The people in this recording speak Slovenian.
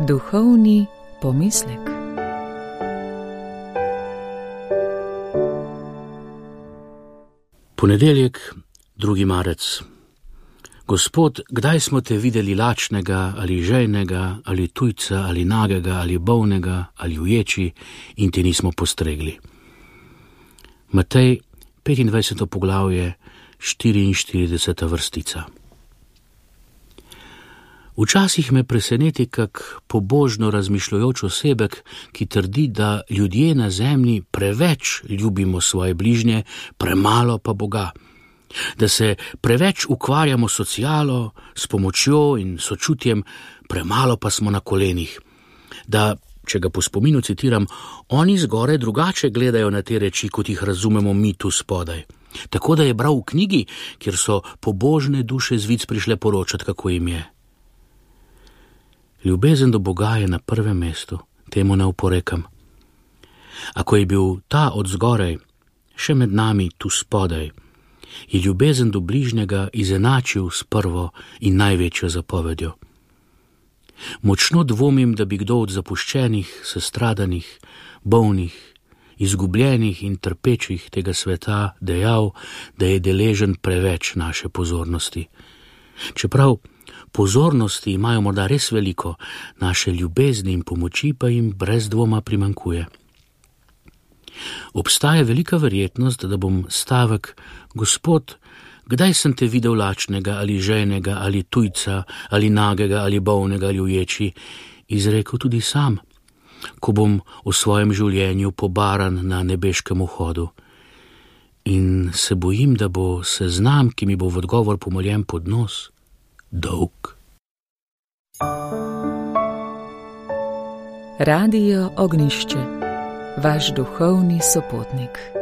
Duhovni pomislek. Ponedeljek, 2. marec. Gospod, kdaj smo te videli lačnega ali žejnega ali tujca ali nagega ali bolnega ali uječi in ti nismo postregli? Matej, 25. poglavje, 44. vrstica. Včasih me preseneti kak pobožno razmišljajoč osebek, ki trdi, da ljudje na zemlji preveč ljubimo svoje bližnje, premalo pa Boga. Da se preveč ukvarjamo s socialo, s pomočjo in sočutjem, premalo pa smo na kolenih. Da, če ga po spominu citiram, oni zgore drugače gledajo na te reči, kot jih razumemo mi tu spodaj. Tako da je bral v knjigi, kjer so pobožne duše z vic prišle poročati, kako jim je. Ljubezen do Boga je na prvem mestu, temu ne oporekam. Ako je bil ta od zgoraj, še med nami tu spodaj, je ljubezen do bližnjega izenačil s prvo in največjo zapovedjo. Močno dvomim, da bi kdo od zapuščenih, sestradanih, bolnih, izgubljenih in trpečih tega sveta dejal, da je deležen preveč naše pozornosti. Čeprav pozornosti imajo morda res veliko, naše ljubezni in pomoči pa jim brez dvoma primanjkuje. Obstaja velika verjetnost, da bom stavek: Gospod, kdaj sem te videl lačnega ali žejnega ali tujca ali nagega ali bolnega ali uječi, izrekel tudi sam, ko bom v svojem življenju pobaran na nebeškem vhodu. In se bojim, da bo seznam, ki mi bo v odgovor pomoljen pod nos, dolg. Radio Ognjišče, vaš duhovni sopotnik.